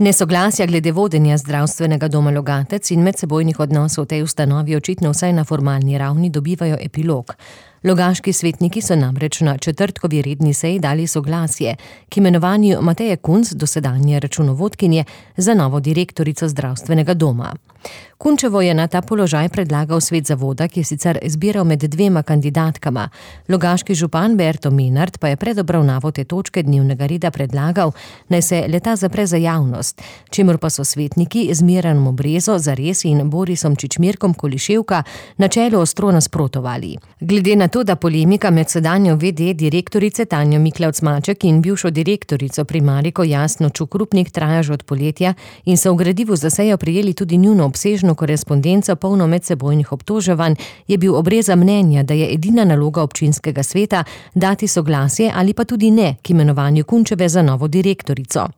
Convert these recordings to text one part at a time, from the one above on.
Nesoglasja glede vodenja zdravstvenega doma Logatec in medsebojnih odnosov v tej ustanovi očitno vsaj na formalni ravni dobivajo epilog. Logaški svetniki so namreč na četrtkovi redni seji dali soglasje k imenovanju Mateje Kunc, dosedanje računovodkinje, za novo direktorico zdravstvenega doma. Kunčevo je na ta položaj predlagal svet zavoda, ki je sicer izbiral med dvema kandidatkama. Logaški župan Berto Menard pa je pred obravnavo te točke dnevnega reda predlagal, naj se le-ta zapre za javnost, čemur pa so svetniki z Miranom Brezo zares in Borisom Čičmirkom Koliševka na čelu ostro nasprotovali. Glede na to, da polemika med sedanjo VD direktorice Tanjo Miklavc-Maček in bivšo direktorico Primariko Jasno Čukrupnik traja že od poletja in so v gradivu za sejo prejeli tudi njuno obsežno korespondenco polno medsebojnih obtoževanj, je bil Obreza mnenja, da je edina naloga občinskega sveta dati soglasje ali pa tudi ne k imenovanju Kunčeve za novo direktorico.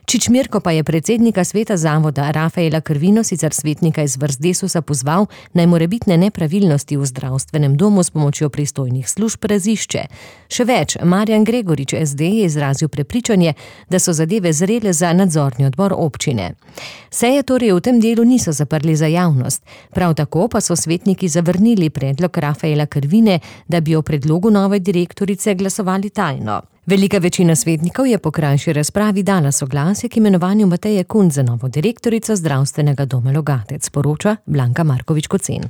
Čičmirko pa je predsednika sveta zavoda Rafaela Krvino, sicer svetnika iz vrst Desusa, pozval, naj morebitne nepravilnosti v zdravstvenem domu s pomočjo pristojnih služb razišče. Še več, Marjan Gregorič SD je izrazil prepričanje, da so zadeve zrele za nadzorni odbor občine. Seje torej v tem delu niso zaprli za javnost. Prav tako pa so svetniki zavrnili predlog Rafaela Krvine, da bi o predlogu nove direktorice glasovali tajno. Velika večina svetnikov je po krajši razpravi dala soglasje k imenovanju Mateje Kunc za novo direktorico zdravstvenega doma Logatec, poroča Blanka Markovič Kocen.